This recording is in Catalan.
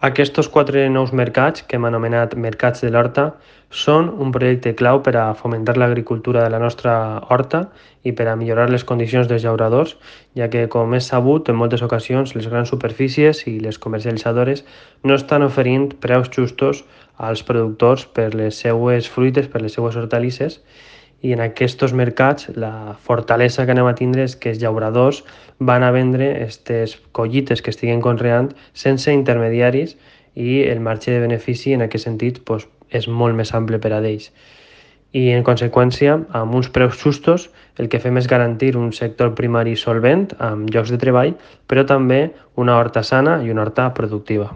Aquests 4 nous mercats, que hem anomenat Mercats de l'Horta, són un projecte clau per a fomentar l'agricultura de la nostra horta i per a millorar les condicions dels llauradors, ja que, com és sabut, en moltes ocasions les grans superfícies i les comercialitzadores no estan oferint preus justos als productors per les seues fruites, per les seues hortalisses, i en aquests mercats la fortalesa que anem a tindre és que els llauradors van a vendre aquestes collites que estiguen conreant sense intermediaris i el marge de benefici en aquest sentit és molt més ample per a ells. I en conseqüència, amb uns preus justos, el que fem és garantir un sector primari solvent amb llocs de treball, però també una horta sana i una horta productiva.